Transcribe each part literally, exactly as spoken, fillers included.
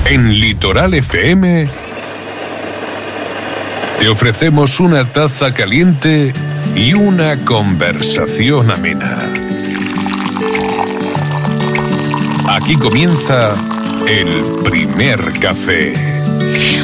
En Litoral F M te ofrecemos una taza caliente y una conversación amena. Aquí comienza el primer café.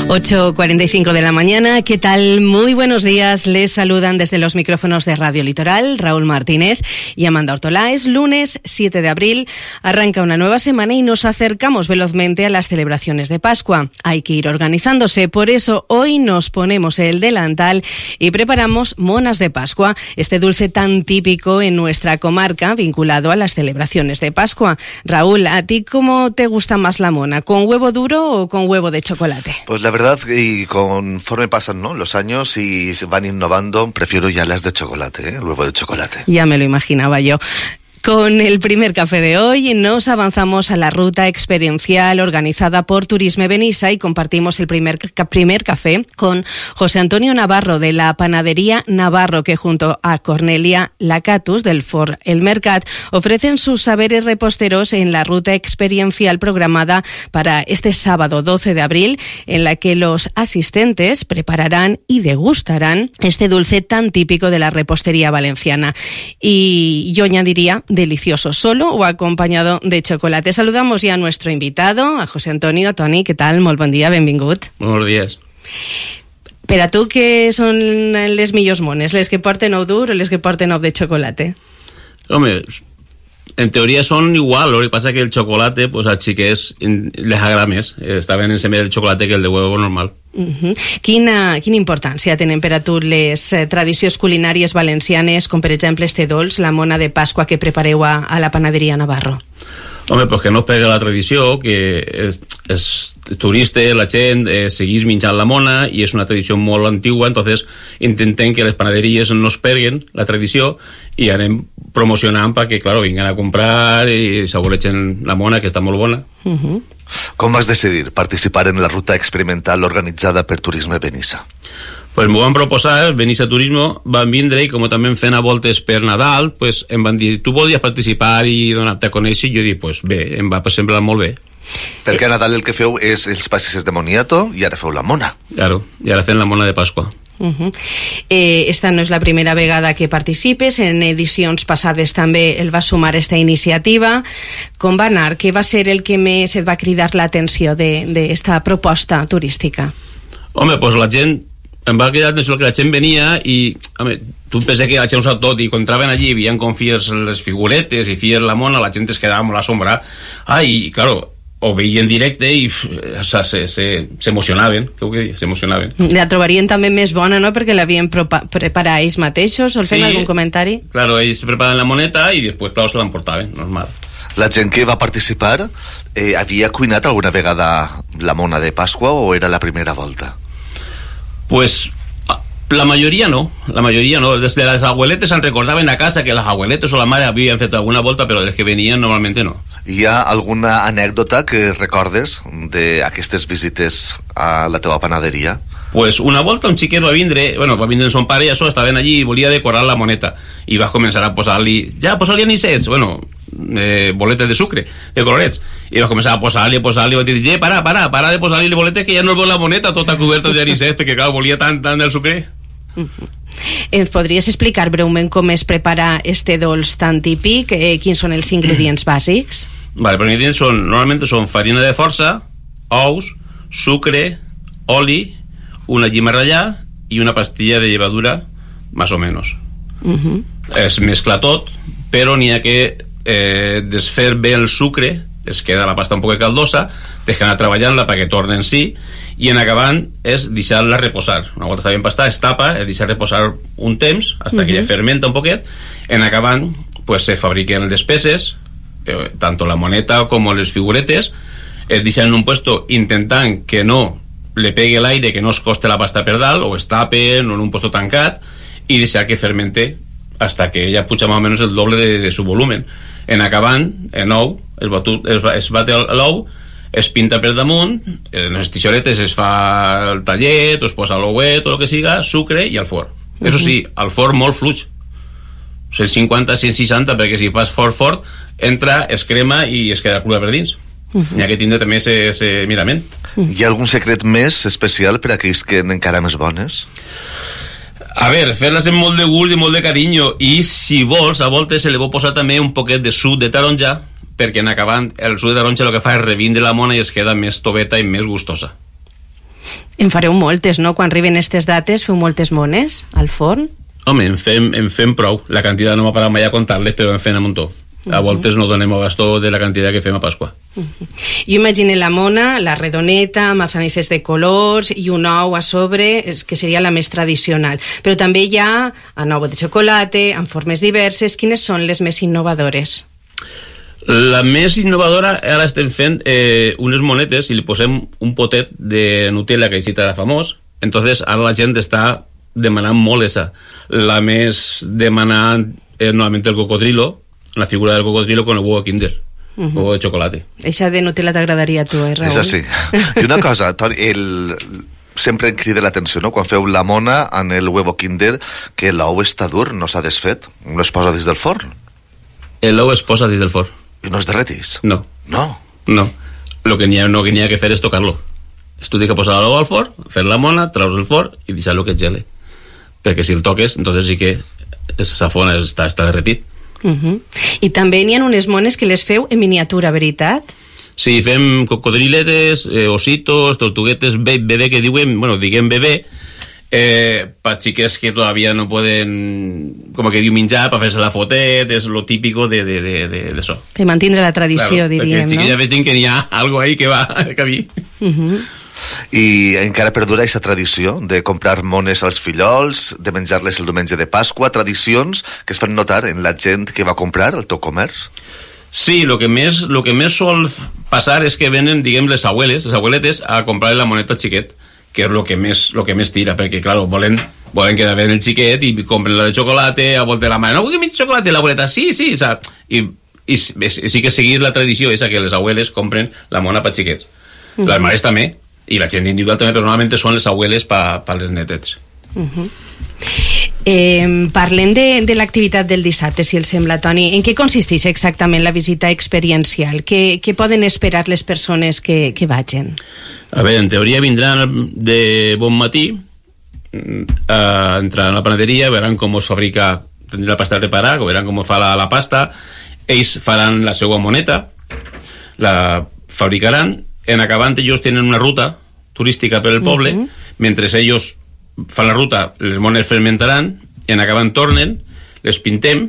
ocho cuarenta y cinco de la mañana, ¿qué tal? Muy buenos días, les saludan desde los micrófonos de Radio Litoral Raúl Martínez y Amanda Ortolá. Es lunes siete de abril, arranca una nueva semana y nos acercamos velozmente a las celebraciones de Pascua. Hay que ir organizándose, por eso hoy nos ponemos el delantal y preparamos monas de Pascua, este dulce tan típico en nuestra comarca vinculado a las celebraciones de Pascua. Raúl, ¿a ti cómo te gusta más la mona? ¿Con huevo duro o con huevo de chocolate? Pues la verdad, y conforme pasan, ¿no?, los años y se van innovando, prefiero ya las de chocolate, ¿eh? El huevo de chocolate. Ya me lo imaginaba yo. Con el primer café de hoy nos avanzamos a la ruta experiencial organizada por Turisme Benissa y compartimos el primer, primer café con José Antonio Navarro de la panadería Navarro, que junto a Cornelia Lacatus del Fort El Mercat ofrecen sus saberes reposteros en la ruta experiencial programada para este sábado doce de abril, en la que los asistentes prepararán y degustarán este dulce tan típico de la repostería valenciana. Y yo añadiría delicioso, solo o acompañado de chocolate. Saludamos ya a nuestro invitado, a José Antonio. Toni, què tal? Molt bon dia, benvingut. Buenos días. Per a tu, què són les millors mones? Les que porten ou dur o les que porten ou de chocolate? Hombre, en teoría son igual, lo que pasa es que el chocolate, pues a xiquets les agrada més. Està ben ensenyat el chocolate que el de huevo normal. Uh-huh. Quina, quina importància tenen per a tu les eh, tradicions culinàries valencianes, com per exemple este dolç, la mona de Pasqua que prepareu a, a la panaderia Navarro? Home, pues que no es pega la tradició, que és, és turista, la gent eh, seguís menjant la mona i és una tradició molt antigua, entonces intentem que les panaderies no es perguen la tradició i anem promocionant perquè, claro, vinguin a comprar i saboregen la mona, que està molt bona. Uh-huh. Com vas decidir participar en la ruta experimental organitzada per Turisme Benissa? Pues m'ho van proposar, Benissa Turismo, van vindre i com també fent a voltes per Nadal, pues em van dir, tu volies participar i donar-te a conèixer? I jo dic, pues bé, em va semblar molt bé. Perquè a Nadal el que feu és els pastisses de moniato i ara feu la mona. Claro, i ara fem la mona de Pasqua. Uh-huh. eh, esta no és la primera vegada que participes, en edicions passades també el va sumar esta iniciativa. Com va anar? Què va ser el que més et va cridar l'atenció d'esta proposta turística? Home, pues la gent em va cridar l'atenció que la gent venia i, home, tu penses que la gent ho sap tot i quan entraven allí i veien com fies les figuretes i fies la mona, la gent es quedava molt assombrada. Ah, i, claro, ho veien en directe i s'emocionaven, què vull dir? S'emocionaven. La trobarien també més bona, no?, perquè l'havien preparat ells mateixos, o fent algun comentari? Claro, ells preparaven la moneta i després, clar, se l'emportaven, normal. La gent que va participar eh, havia cuinat alguna vegada la mona de Pasqua o era la primera volta? Pues la mayoría no, la mayoría no. Desde las abueletes se'n recordaven a casa que las abueletes o la mare havien fet alguna volta, però dels que venien normalmente no. Hi ha alguna anècdota que recordes d'aquestes visites a la teva panaderia? Pues una volta un xiquet va vindre, bueno, va vindre son pare i això, estaven allí i volia decorar la moneta i va començar a posar-li, ja, posar-li anisets, bueno, eh, boletes de sucre, de colorets, i va començar a posar-li, a posar-li, i va dir, eh, para, para, para de posar-li boletes que ja no es veu la moneta tota coberta d'anisets, perquè clar, volia tant, tant del sucre. Uh-huh. Ens podries explicar breument com es prepara este dolç tan típic? Eh, quins són els ingredients bàsics? Vale, els ingredients són, normalment són farina de força, ous, sucre, oli, una llima ratllada i una pastilla de llevadura, más o menos. Uh-huh. Es mescla tot, però n'hi ha que eh, desfer bé el sucre, es queda la pasta un poc caldosa, deixen anar treballant-la perquè torna en si, i en acabant és deixar-la reposar. Una volta està ben pastada, es tapa, es deixa reposar un temps, hasta uh-huh. que ja fermenta un poquet. En acabant, pues se fabriquen les peces, eh, tanto la moneta com les figuretes, es deixen en un puesto intentant que no le pegue l'aire, que no es coste la pasta per dalt, o es tape en un puesto tancat, i deixar que fermente hasta que ella puja más o menos el doble de, de su volumen. En acabant, en ou, es, batut, es, es bate l'ou, es pinta per damunt, en les tixoretes es fa el tallet, o es posa l'ouet o el que siga, sucre i al forn. Uh-huh. Eso sí, al forn molt fluix, cent cinquanta a cent seixanta, perquè si fas fort fort entra, es crema i es queda crua per dins. Uh-huh. N'hi ha que tindre també aquest mirament. Uh-huh. Hi ha algun secret més especial per a aquells que encara més bones? A veure, fer-les amb molt de gust i molt de carinyo, i si vols, a voltes se li pot posar també un poquet de suc de taronja, perquè en acabant el suc de taronja el que fa és revindre la mona i es queda més toveta i més gustosa. En fareu moltes, no? Quan arriben aquestes dates feu moltes mones al forn? Home, en fem, en fem prou. La quantitat no m'ha parat mai a comptar-les, però en fem un muntó. A voltes no donem abastó de la quantitat que fem a Pasqua. Uh-huh. Jo imagino la mona, la redoneta, amb els anisses de colors i un ou a sobre, que seria la més tradicional. Però també hi ha en ou de xocolata, en formes diverses. Quines són les més innovadores? La més innovadora, ara estem fent eh, unes monetes i li posem un potet de Nutella, que així era famós. Entonces ara la gent està demanant molt esa. La més demanant és normalment el cocodrilo, la figura del cocodrilo con el huevo Kinder, uh-huh. huevo de chocolate. Eixa de Nutella t'agradaria a tu, eh, Raül? És així. I una cosa, Toni, el... sempre em crida l'atenció, no?, quan feu la mona en el huevo Kinder, que l'ou està dur, no s'ha desfet, no es posa dins del forn. L'ou es posa dins del forn. I no es derretís? No. No? No. Lo que n'hi ha, no, que n'hi ha que fer és tocar-lo. Es tu que posar l'ou al forn, fer la mona, traus el forn i deixar-lo que es gele. Perquè si el toques, entonces sí que esa fona està, està derretit. Uh-huh. I també n'hi ha unes mones que les feu en miniatura, veritat? Sí, fem cocodriletes, eh, ositos, tortuguetes, bebé, que diuen, bueno, diguem bebé, eh, per xiques que todavía no poden, com que diu, menjar, per fer-se la fotet, és lo típico de, de, de, de, de això. Per mantenir la tradició, claro, diríem, no? Perquè xiquilla vegin que n'hi ha algo ahí que va a cabir. Uh-huh. I encara perdura aquesta tradició de comprar mones als fillols, de menjar-les el diumenge de Pasqua, tradicions que es fan notar en la gent que va comprar al teu comerç? Sí, lo que més, lo que més sol passar és que venen, diguem, les abueles, les abueletes, a comprar la moneta xiquet, que és lo que més, lo que més tira, perquè, claro, volen, volen quedar bé el xiquet i compren la de xocolata, a volta de la mare, no vull que mengi xocolata, l'abueleta, sí, sí, saps? I, i, i sí que seguir la tradició esa que les abueles compren la mona per xiquets. Uh-huh. Les mares també, i la gent individual també, però normalment són les abueles per pa les netets. Uh-huh. Eh, parlem de, de l'activitat del dissabte, si el sembla, Toni. En què consisteix exactament la visita experiencial? Què, què poden esperar les persones que, que vagin? A veure, en teoria vindran de bon matí, eh, entraran a la panaderia, veuran com es fabrica, tindran la pasta preparada, veuran com fa la, la pasta, ells faran la seva moneta, la fabricaran, en acabant ells tenen una ruta turística per el poble, uh-huh. mentre ells fan la ruta, les mones fermentaran, i en acabant tornen, les pintem,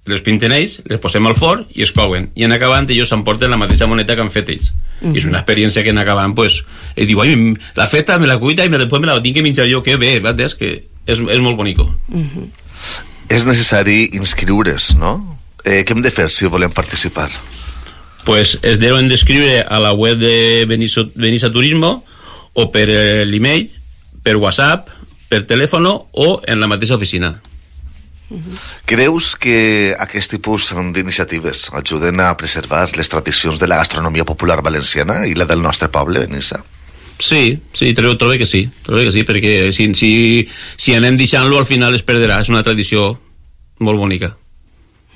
les pinten ells, les posem al forn i es couen. I en acabant ells s'emporten la mateixa moneta que han fet ells. Uh-huh. I és una experiència que en acabant, pues, ell diu, ai, la feta me la cuita i després me la tinc que menjar jo, que bé, és que és, és molt bonico. Uh-huh. És necessari inscriure's, no? Eh, què hem de fer si volem participar? Pues es deuen d'escriure a la web de Benissa, Benissa Turismo o per l'email, per WhatsApp, per telèfon o en la mateixa oficina. Uh-huh. Creus que aquest tipus d'iniciatives ajuden a preservar les tradicions de la gastronomia popular valenciana i la del nostre poble, Benissa? Sí, sí, trobo, trobo que sí, trobo que sí, perquè si, si, si anem deixant-lo al final es perderà, és una tradició molt bonica.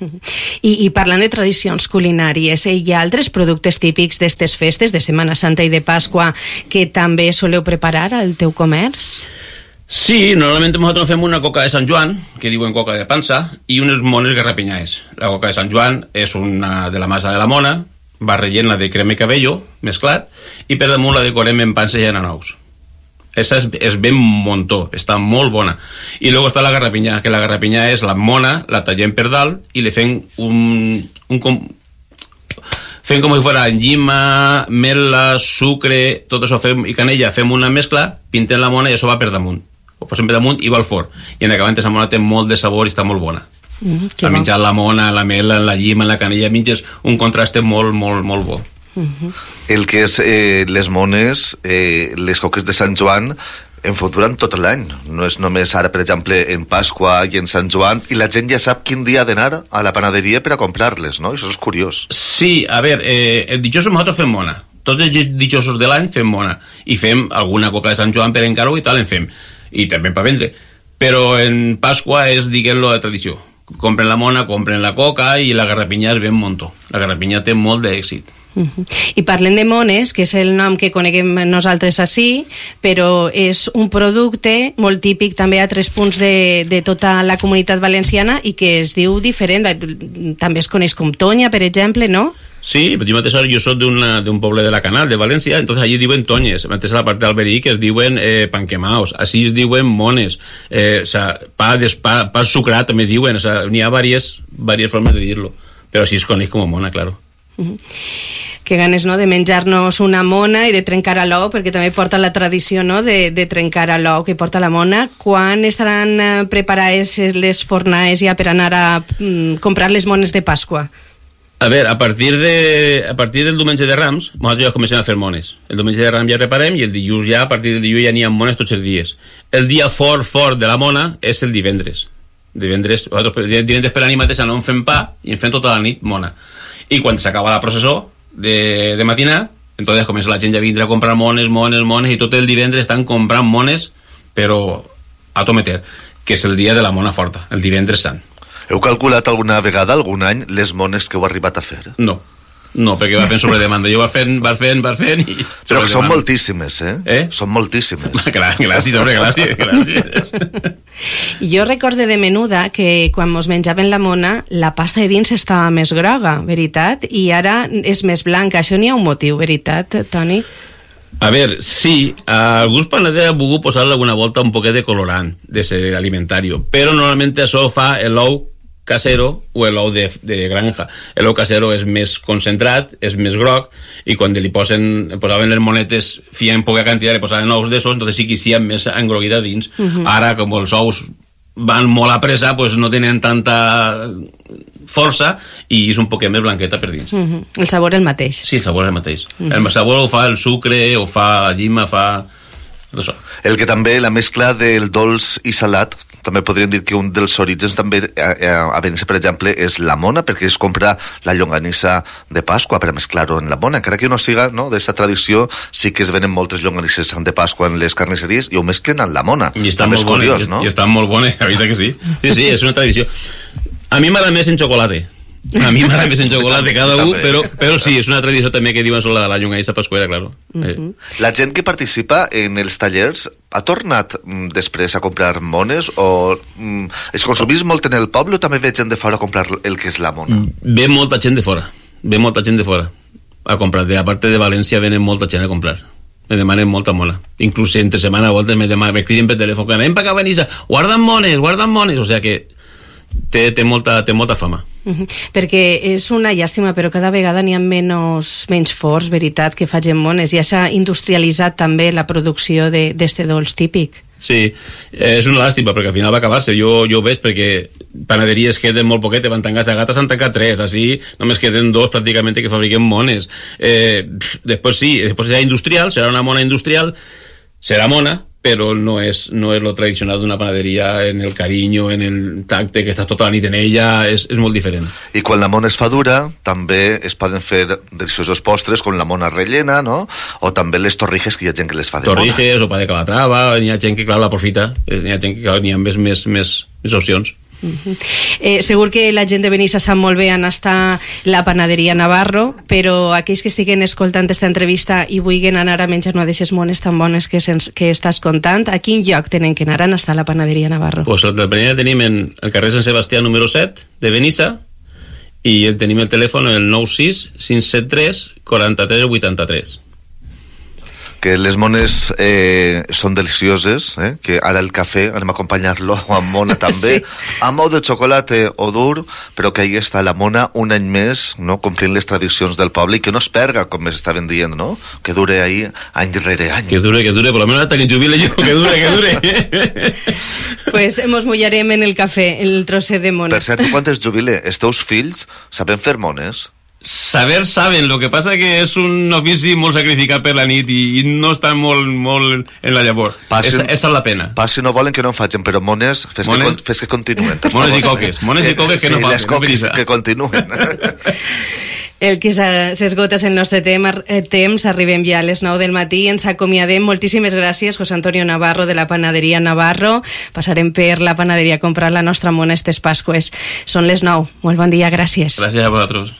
I, i parlant de tradicions culinàries, eh, hi ha altres productes típics d'estes festes de Setmana Santa i de Pasqua que també soleu preparar al teu comerç? Sí, normalment nosaltres fem una coca de Sant Joan, que diuen coca de pansa, i unes mones garrapinyades. La coca de Sant Joan és una de la massa de la mona, va rellena de crema i cabello mesclat, i per damunt la decorem en pansa i en anous. Esa és, és ben montó, està molt bona. I luego està la garrapinyà, que la garrapinyà és la mona, la tallem per dalt i li fem un... un com, fem com si fuera llima, mel·la, sucre, tot això fem, i canella, fem una mescla, pintem la mona i això va per damunt. Ho posem per damunt i va al forn. I en acabant aquesta mona té molt de sabor i està molt bona. Mm, a menjar la mona, la mel·la, la llima, la canella, menges un contrast molt, molt, molt bo. Uh-huh. El que és eh, les mones, eh, les coques de Sant Joan en fot durant tot l'any, no és només ara, per exemple, en Pasqua i en Sant Joan, i la gent ja sap quin dia ha d'anar a la panaderia per a comprar-les, no? Això és curiós. Sí, a veure, eh, el dichosos nosaltres fem mona, tots els dichosos de l'any fem mona, i fem alguna coca de Sant Joan per encargo i tal en fem, i també per vendre, però en Pasqua és, diguem-lo, de tradició. Compren la mona, compren la coca i la garrapinyà és ben montó. La garrapinyà té molt d'èxit. Uh-huh. I parlem de mones, que és el nom que coneguem nosaltres així, però és un producte molt típic també a tres punts de, de tota la comunitat valenciana i que es diu diferent, també es coneix com tonya, per exemple, no? Sí, jo mateix jo soc d'un poble de la Canal, de València, entonces allí diuen tonyes, mateix a la part d'Alberí que es diuen eh, panquemaos, així es diuen mones, eh, o sea, pa, pa, pa sucrat també diuen, o sea, n'hi ha diverses, diverses formes de dir-lo, però així es coneix com a mona, claro. Uh-huh. Que ganes, no?, de menjar-nos una mona i de trencar a l'ou, perquè també porta la tradició, no?, de, de trencar a l'ou que porta la mona. Quan estaran eh, preparades les fornaes ja per anar a mm, comprar les mones de Pasqua? A veure, a partir, de, a partir del diumenge de Rams, nosaltres ja comencem a fer mones. El diumenge de Rams ja reparem i el dilluns ja, a partir del dilluns ja n'hi ha mones tots els dies. El dia fort, fort de la mona és el divendres. Divendres, divendres per la nit mateixa no en fem pa i en fem tota la nit mona. I quan s'acaba la processó de, de matinar, entonces comença la gent ja a vindre a comprar mones, mones, mones, i tot el divendres estan comprant mones, però a tometer, que és el dia de la mona forta, el divendres sant. Heu calculat alguna vegada, algun any, les mones que heu arribat a fer? No, no, perquè va fent sobre demanda. Jo va fent, va fent, va fent... I però que són moltíssimes, eh? Eh? Són moltíssimes. Clar, gràcies, home, gràcies, gràcies. Jo recorde de menuda que quan mos menjaven la mona, la pasta de dins estava més groga, veritat? I ara és més blanca. Això n'hi ha un motiu, veritat, Toni? A veure, sí, alguns panaders han volgut posar-le alguna volta un poquet de colorant de ser alimentari, però normalment això fa l'ou casero o l'ou de, de granja. L'ou casero és més concentrat, és més groc, i quan li posen, posaven les monetes, fien poca quantitat, li posaven ous d'esos, entonces sí que hi ha més engroguida dins. Uh-huh. Ara, com els ous van molt a pressa, pues no tenen tanta força i és un poquet més blanqueta per dins. Uh-huh. El sabor és el mateix. Sí, el sabor és el mateix. Uh-huh. El sabor ho fa el sucre, ho fa la llima, fa... tot això. El que també, la mescla del dolç i salat, també podríem dir que un dels orígens també a Benissa, per exemple, és la mona, perquè es compra la llonganissa de Pasqua per a mesclar-ho en la mona. Encara que no siga, no, d'aquesta tradició, sí que es venen moltes llonganisses de Pasqua en les carnisseries i ho mesclen amb la mona. I estan molt bones, curiós, no? I estan molt bones, la veritat que sí. Sí, sí, és una tradició. A mi m'agrada més en xocolate. A mi m'agrada més en xocolate cada un, però, però sí, és una tradició també que diuen sobre la llonganissa pasquera, claro. Uh-huh. La gent que participa en els tallers ha tornat mm, després a comprar mones o mm, es consumís molt en el poble o també ve gent de fora a comprar el que és la mona? Ve molta gent de fora, ve molta gent de fora a comprar, de, a part de València venen molta gent a comprar. Me demanen molta mona. Inclús entre setmana a voltes me, demanen, me criden per telèfon, anem per acá, Benissa, guardan mones, guardan mones, o sea que té, té, molta, té molta fama. Uh-huh. Perquè és una llàstima, però cada vegada n'hi ha menys, menys forts, veritat, que facin mones. Ja s'ha industrialitzat també la producció d'este dolç típic. Sí, és una làstima perquè al final va acabar-se. Jo, jo ho veig perquè panaderies queden molt poquet, van tancar a Gata, s'han tancat tres, així només queden dos pràcticament que fabriquen mones. Eh, després sí, després serà industrial, serà una mona industrial, serà mona, però no és, no és lo tradicional d'una panaderia en el carinyo, en el tacte, que estàs tota la nit en ella, és, és molt diferent. I quan la mona es fa dura, també es poden fer deliciosos postres com la mona rellena, no? O també les torrijes, que hi ha gent que les fa de torrijes, mona. Torrijes, o pa de calatrava, n'hi ha gent que, clar, l'aprofita, n'hi ha gent que, clar, n'hi ha més, més, més, més opcions. Uh-huh. eh, segur que la gent de Benissa sap molt bé on està la panaderia Navarro, però aquells que estiguen escoltant aquesta entrevista i vulguin anar a menjar una d'aquestes mones tan bones que, sens, que estàs contant, a quin lloc tenen que anar? On està la panaderia Navarro? Pues la panaderia tenim en el carrer Sant Sebastià número set de Benissa i tenim el telèfon el nou sis cinc set tres quatre tres vuit tres. Que les mones eh, són delicioses, eh? Que ara el cafè anem a acompanyar-lo amb mona també, sí. Amb ou de xocolate o dur, però que ahí està la mona un any més, no? Complint les tradicions del poble i que no es perga, com m'estaven dient, no? Que dure ahí any rere any. Que dure, que dure, por lo menos hasta que jubile yo, que dure, que dure. Pues mos mullarem en el cafè, el trosset de mona. Per cert, quan es jubile, els teus fills saben fer mones? Saber saben, lo que passa que és un ofici molt sacrificat per la nit i, i no estan molt, molt en la llavor. Passin, esa, esa és la pena. Pas si no volen que no en facin, però mones, fes, mones, que, fes que continuen. Mones i coques, mones i coques que sí, no facin. Les coques que continuen. El que s'esgota és el nostre temps, arribem ja a les nou del matí, ens acomiadem. Moltíssimes gràcies, José Antonio Navarro, de la panaderia Navarro. Passarem per la panaderia a comprar la nostra mona estes Pasqües. Són les nou. Molt bon dia, gràcies. Gràcies a vosaltres.